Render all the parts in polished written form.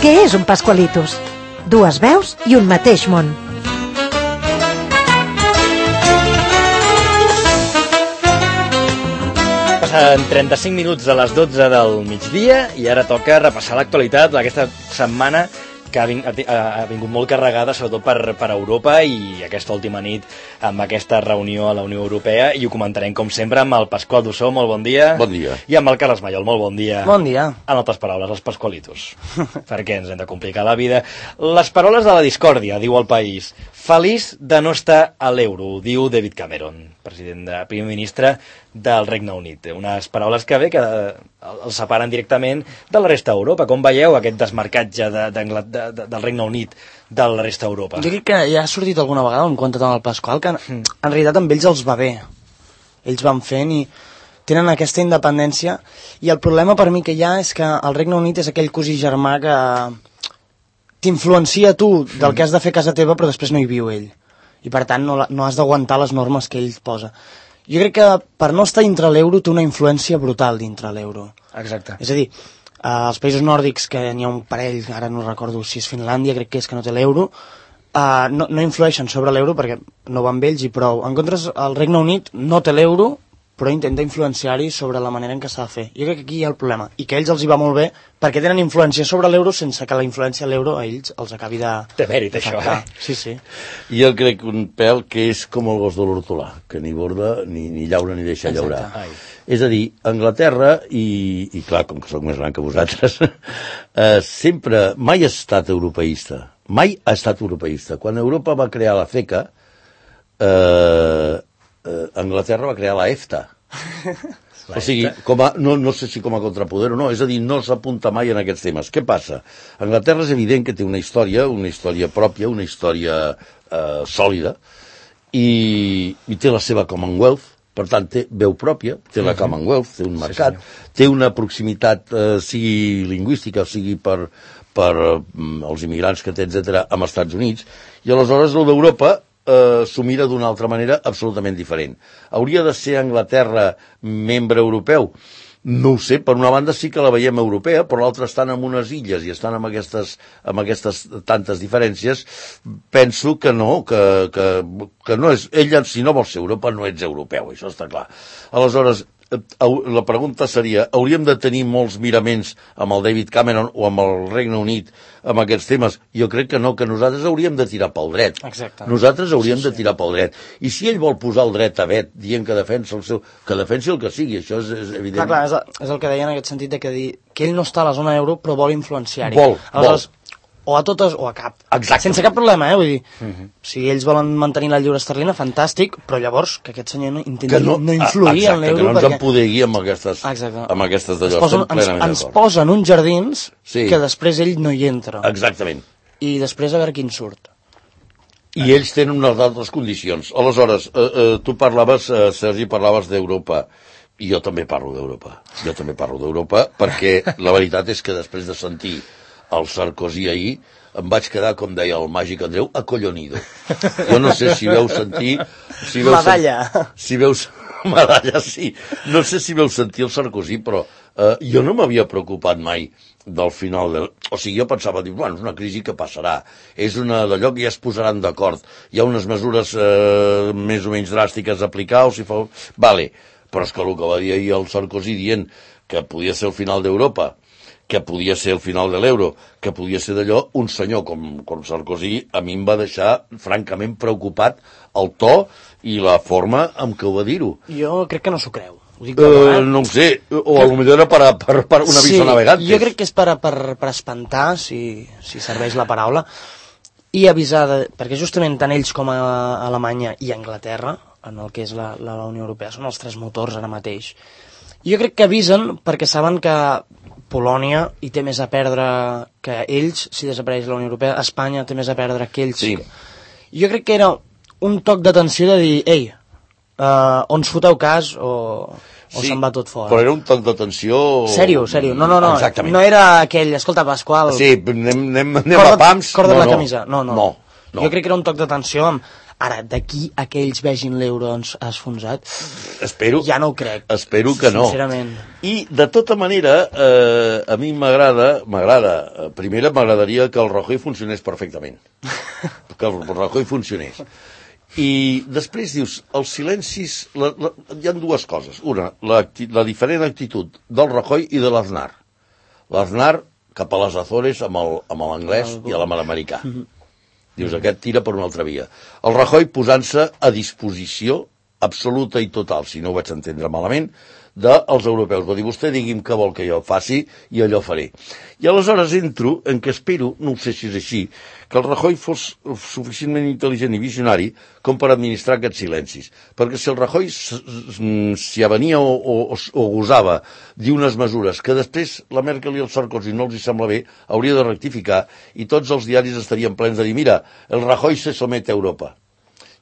Què és un Pascualitos? Dues veus i un mateix món. Passen 35 minuts de les 12 del migdia i ara toca repassar l'actualitat d'aquesta setmana que ha vingut molt carregada, sobretot per Europa, i aquesta última nit amb aquesta reunió a la Unió Europea, i ho comentarem com sempre amb el Pasqual Dussó, molt bon dia. Bon dia. I amb el Carles Mallol, molt bon dia. Bon dia. En altres paraules, els Pasqualitos. Perquè ens hem de complicar la vida. Les paraules de la discòrdia, diu El País. Feliç de no estar a l'euro, diu David Cameron, primer ministre del Regne Unit. Unes paraules que els separen directament de la resta d'Europa. Com veieu aquest desmarcatge del Regne Unit de la resta d'Europa? Jo crec que ja ha sortit alguna vegada, en compte amb el Pasqual, que en realitat amb ells els va bé. Ells van fent i tenen aquesta independència, i el problema per mi que hi ha és que el Regne Unit és aquell cosí germà que t'influencia tu del que has de fer a casa teva, però després no hi viu ell. I per tant no has d'aguantar les normes que ell posa. Jo crec que per no estar dintre l'euro té una influència brutal dintre l'euro. Exacte. És a dir, als països nòrdics, que n'hi ha un parell, ara no recordo si és Finlàndia, crec que és que no té l'euro, no influeixen sobre l'euro perquè no van amb ells i prou. En contra, el Regne Unit no té l'euro, però intenta influenciar-hi sobre la manera en què s'ha de fer. Jo crec que aquí hi ha el problema, i que a ells els hi va molt bé, perquè tenen influència sobre l'euro sense que la influència a l'euro a ells els acabi de... Té mèrit, això, Sí, sí. Jo crec un pèl que és com el gos de l'hortolà, que ni borda, ni llaura, ni deixa llaurar. És a dir, Anglaterra, i clar, com que sóc més gran que vosaltres, sempre, mai ha estat europeista. Mai ha estat europeista. Quan Europa va crear la FECA, Anglaterra va crear la EFTA. O sigui, no sé si com a contrapoder o no, és a dir, no s'apunta mai en aquests temes. Què passa? Anglaterra és evident que té una història pròpia, una història sòlida, i té la seva Commonwealth, per tant té veu pròpia, té la Commonwealth, té un mercat, té una proximitat, sigui lingüística, sigui per els immigrants que té, etc., amb els Estats Units, i aleshores el d'Europa s'ho mira d'una altra manera absolutament diferent. Hauria de ser Anglaterra membre europeu? No ho sé, per una banda sí que la veiem europea, però l'altra estan en unes illes i estan amb aquestes tantes diferències. Penso que no, que no és... Ella, si no vol ser Europa, no ets europeu, això està clar. Aleshores, la pregunta seria, hauríem de tenir molts miraments amb el David Cameron o amb el Regne Unit amb aquests temes? Jo crec que no, que nosaltres hauríem de tirar pel dret. Exacte. Nosaltres hauríem de tirar pel dret. I si ell vol posar el dret a vet, dient que defensa que defensi el que sigui, això és evident. Clar, és el que deia en aquest sentit, que ell no està a la zona euro, però vol influenciar-hi. Vol. O a totes o a cap. Exacte. Sense cap problema, vull dir. Si ells volen mantenir la lliure esterlina, fantàstic, però llavors que aquest senyor intenti no influir en l'euro. Que no ens empodegui amb aquestes d'allò. Ens posen uns jardins que després ell no hi entra. Exactament. I després a veure quin surt. I ells tenen unes altres condicions. Aleshores, tu parlaves, Sergi, d'Europa. I jo també parlo d'Europa. Perquè la veritat és que després de sentir el Sarkozy ahir, em vaig quedar, com deia el màgic Andreu, acollonido. Jo no sé si veu sentir... Medalla. Medalla, sí. No sé si veu sentir el Sarkozy, però jo no m'havia preocupat mai del final. O sigui, jo pensava, bueno, és una crisi que passarà. És una d'allò que ja es posaran d'acord. Hi ha unes mesures més o menys dràstiques a aplicar, o si fa... Vale, però és que el que va dir ahir el Sarkozy dient que podia ser el final d'Europa, que podia ser el final de l'euro, que podia ser d'allò, un senyor com Sarkozy a mi em va deixar francament preocupat el to i la forma amb què ho va dir-ho. Jo crec que no s'ho creu. No ho sé, o potser era per un avís a navegantes. Jo crec que és per espantar, si serveix la paraula, i avisar, perquè justament tant ells com a Alemanya i Anglaterra, en el que és la Unió Europea, són els tres motors ara mateix. Jo crec que avisen perquè saben que Polònia hi té més a perdre que ells, si desapareix la Unió Europea. Espanya té més a perdre que ells. Sí. Jo crec que era un toc d'atenció de dir, ei, o ens foteu cas o se'n va tot fora. Però era un toc d'atenció... Sèrio. No. Exactament. No era aquell, escolta, Pasqual... Sí, anem a pams... Corda la camisa. No. Jo crec que era un toc d'atenció Ara, d'aquí a que ells vegin l'euro esfonsat, ja no ho crec. Espero que no. Sincerament. I, de tota manera, a mi primera m'agradaria que el Rajoy funcionés perfectament. Que el Rajoy funcionés. I després dius, els silencis... Hi ha dues coses. Una, la diferent actitud del Rajoy i de l'Aznar. L'Aznar cap a les Azores amb l'anglès i a l'americà. Dius, aquest tira per una altra via. El Rajoy posant-se a disposició absoluta i total, si no ho vaig entendre malament, dels europeus. Va dir, vostè digui'm què vol que jo faci i allò faré. I aleshores entro en què espero, no sé si és així, que el Rajoy fos suficientment intel·ligent i visionari com per administrar aquests silencis. Perquè si el Rajoy s'hi avenia o gosava d'unes mesures que després la Merkel i el Sarkozy no els hi sembla bé, hauria de rectificar i tots els diaris estarien plens de dir, mira, el Rajoy se somete a Europa.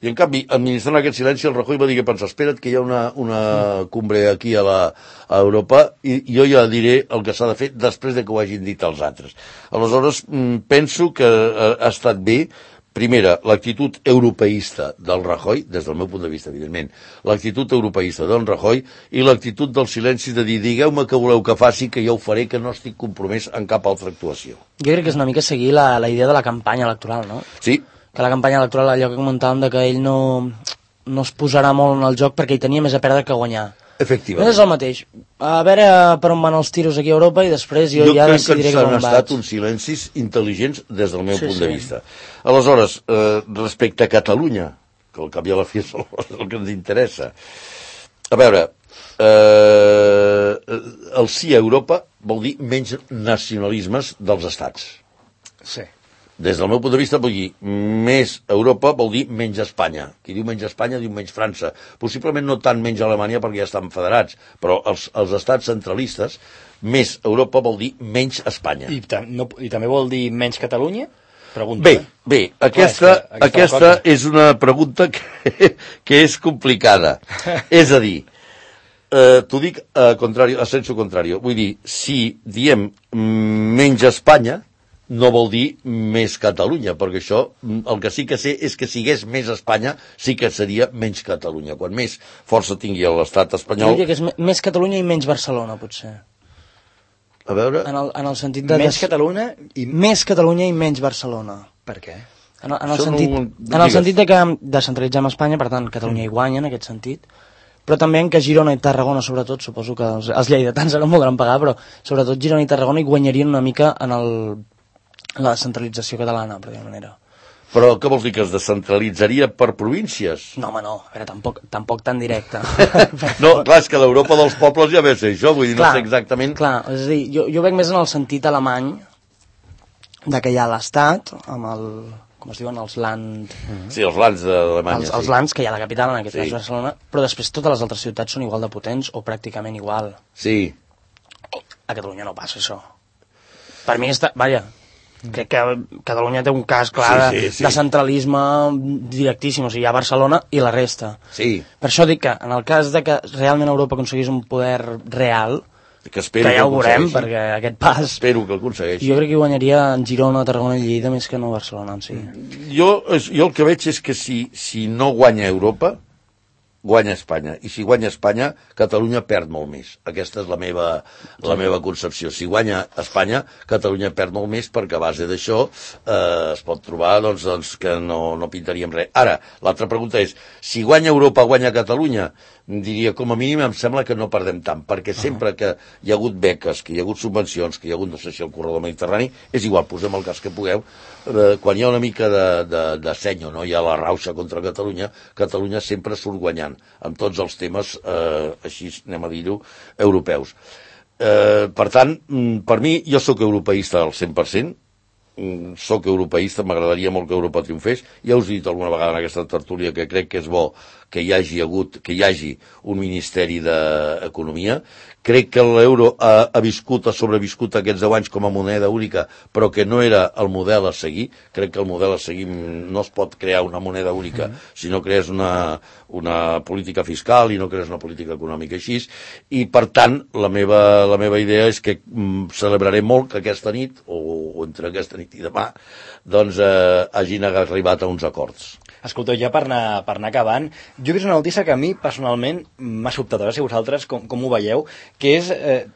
I, en canvi, administrant aquest silenci, el Rajoy va dir que pensa, espera't que hi ha una cumbre aquí a Europa i jo ja diré el que s'ha de fer després de que ho hagin dit els altres. Aleshores, penso que ha estat bé, primera, l'actitud europeista del Rajoy, des del meu punt de vista, evidentment, l'actitud europeista del Rajoy i l'actitud del silenci de dir, digueu-me què voleu que faci, que jo ho faré, que no estic compromès en cap altra actuació. Jo crec que és una mica seguir la idea de la campanya electoral, no? Sí. Que la campanya electoral, allò que comentàvem, que ell no es posarà molt en el joc perquè hi tenia més a perdre que a guanyar. Efectivament. És el mateix. A veure per on van els tiros aquí a Europa i després jo ja decidiré com vaig. Jo crec que han estat uns silencis intel·ligents des del meu punt de vista. Aleshores, respecte a Catalunya, que al cap i a la fi és el que ens interessa, a veure, el sí a Europa vol dir menys nacionalismes dels estats. Sí. Des del meu punt de vista, vull dir, més Europa vol dir menys Espanya. Qui diu menys Espanya diu menys França. Possiblement no tant menys Alemanya perquè ja estan federats, però els estats centralistes, més Europa vol dir menys Espanya. I també vol dir menys Catalunya? Pregunta. Bé, aquesta és una pregunta que és complicada. És a dir, t'ho dic a sensu contrario. Vull dir, si diem menys Espanya, no vol dir més Catalunya, perquè això, el que sí que sé és que si hagués més Espanya, sí que seria menys Catalunya. Quan més força tingui l'estat espanyol... Jo diria que és més Catalunya i menys Barcelona, potser. A veure... En el sentit de... Més Catalunya i... Més Catalunya i menys Barcelona. Per què? En el sentit de que descentralitzem Espanya, per tant, Catalunya hi guanya, en aquest sentit, però també en què Girona i Tarragona, sobretot, suposo que els lleidatans ara no voldran pagar, però sobretot Girona i Tarragona hi guanyarien una mica en la descentralització catalana, per dir-ho manera. Però què vols dir, que es descentralitzaria per províncies? No, home, no. A veure, tampoc tan directe. No, clar, és que l'Europa dels pobles ja ve a ser això, vull dir, no sé exactament... Clar, és a dir, jo veig més en el sentit alemany de que hi ha l'Estat, amb el... com es diuen, els Land... Sí, els Lands d'Alemanya, sí. Els Lands, que hi ha la capital, en aquest cas Barcelona, però després totes les altres ciutats són igual de potents o pràcticament igual. Sí. A Catalunya no passa això. Per mi està... Vaja, crec que Catalunya té un cas clar de centralisme directíssim, o sigui, hi ha Barcelona i la resta. Sí. Per això dic que en el cas de que realment Europa aconseguís un poder real, que ja ho veurem, perquè aquest pas... Espero que el aconsegueixi. Jo crec que guanyaria en Girona, Tarragona i Lleida més que no Barcelona en si. Jo el que veig és que si no guanya Europa, guanya Espanya. I si guanya Espanya, Catalunya perd molt més. Aquesta és la meva concepció. Si guanya Espanya, Catalunya perd molt més perquè a base d'això es pot trobar doncs, que no pintaríem res. Ara, l'altra pregunta és, si guanya Europa, guanya Catalunya? Diria, com a mínim em sembla que no perdem tant, perquè sempre que hi ha hagut beques, que hi ha hagut subvencions, que hi ha hagut, no sé si el corredor mediterrani, és igual, posem el cas que pugueu, quan hi ha una mica de senyo, no? Hi ha la rauxa contra Catalunya, Catalunya sempre surt guanyant, amb tots els temes, així anem a dir-ho, europeus. Per tant, per mi, jo sóc europeista al 100%, sóc europeista, m'agradaria molt que Europa triomfés. Ja us he dit alguna vegada en aquesta tertúlia que crec que és bo que hi hagi un Ministeri d'Economia. Crec que l'euro ha sobreviscut aquests 10 anys com a moneda única, però que no era el model a seguir. Crec que el model a seguir no es pot crear una moneda única si no crees una política fiscal i no crees una política econòmica així. I, per tant, la meva idea és que celebraré molt que aquesta nit, o entre aquesta nit i demà, doncs hagin arribat a uns acords. Escolteu, ja per anar acabant, jo he vist una notícia que a mi personalment m'ha sobtat, a veure si vosaltres com ho veieu, que és,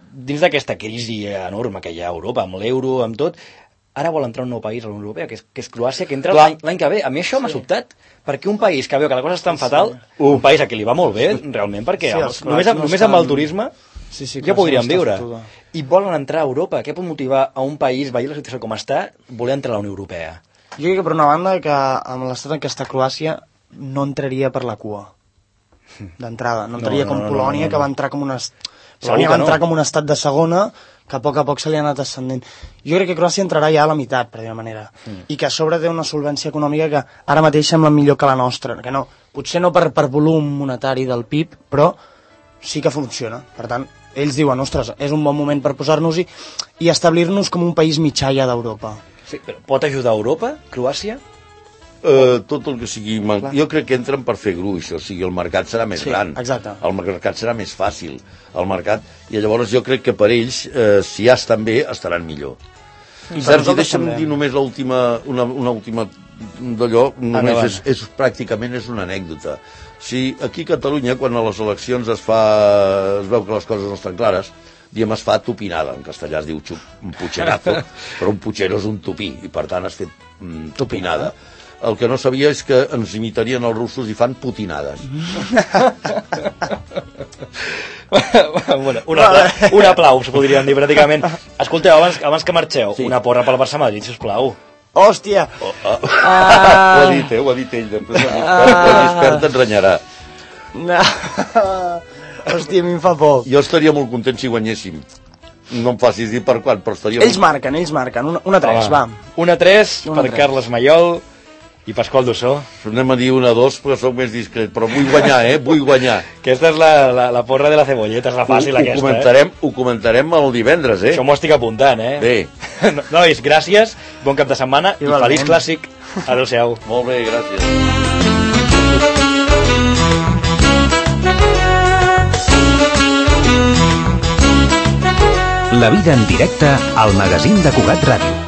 dins d'aquesta crisi enorme que hi ha a Europa, amb l'euro, amb tot, ara vol entrar un nou país a la Unió Europea, que és Croàcia, que entra l'any que ve. A mi això m'ha sobtat, perquè un país que veu que la cosa és tan fatal, un país a qui li va molt bé, realment, perquè només amb el turisme ja podríem viure. I volen entrar a Europa. Què pot motivar a un país, veient la situació com està, voler entrar a la Unió Europea? Jo crec que per una banda que amb l'estat en què està Croàcia no entraria per la cua d'entrada, no entraria com Polònia, que va entrar com una... Polònia va entrar com un estat de segona, que a poc se li ha anat ascendent. Jo crec que Croàcia entrarà ja a la meitat, per dir una manera, i que a sobre té una solvència econòmica que ara mateix sembla millor que la nostra, que no, potser no per volum monetari del PIB, però sí que funciona. Per tant, ells diuen, ostres, és un bon moment per posar-nos-hi i establir-nos com un país mitjà ja d'Europa. Sí, però pot ajudar a Europa, Croàcia? Tot el que sigui... Jo crec que entren per fer gruix, o sigui, el mercat serà més gran. Exacte. El mercat serà més fàcil. I llavors jo crec que per ells, si ja estan bé, estaran millor. Sergi, deixa'm dir només una última d'allò, només pràcticament és una anècdota. Si aquí a Catalunya, quan a les eleccions es veu que les coses no estan clares, diem es fa tupinada, en castellà es diu un pucherazo, però un puchero és un tupí, i per tant has fet tupinada. El que no sabia és que ens imitarien els russos i fan putinades. Bueno, un aplaus, podríem dir, pràcticament. Escolteu, abans que marxeu, una porra pel Barça-Madrid, sisplau. Hòstia! Ho ha dit ell, després l'expert ens renyarà. Hòstia, a mi em fa por. Jo estaria molt content si guanyéssim. No em facis dir per quan, però estaria... Ells marquen. 1-3, va. 1-3 per Carles Mayol i Pasqual Dussó. Anem a dir 1-2 perquè soc més discret, però vull guanyar, vull guanyar. Aquesta és la porra de la cebolleta, és la fàcil aquesta. Ho comentarem el divendres, Això m'ho estic apuntant, Bé. Nois, gràcies, bon cap de setmana i feliç clàssic. Adéu-siau. Molt bé, gràcies. La vida en directe al magazín de Cugat Ràdio.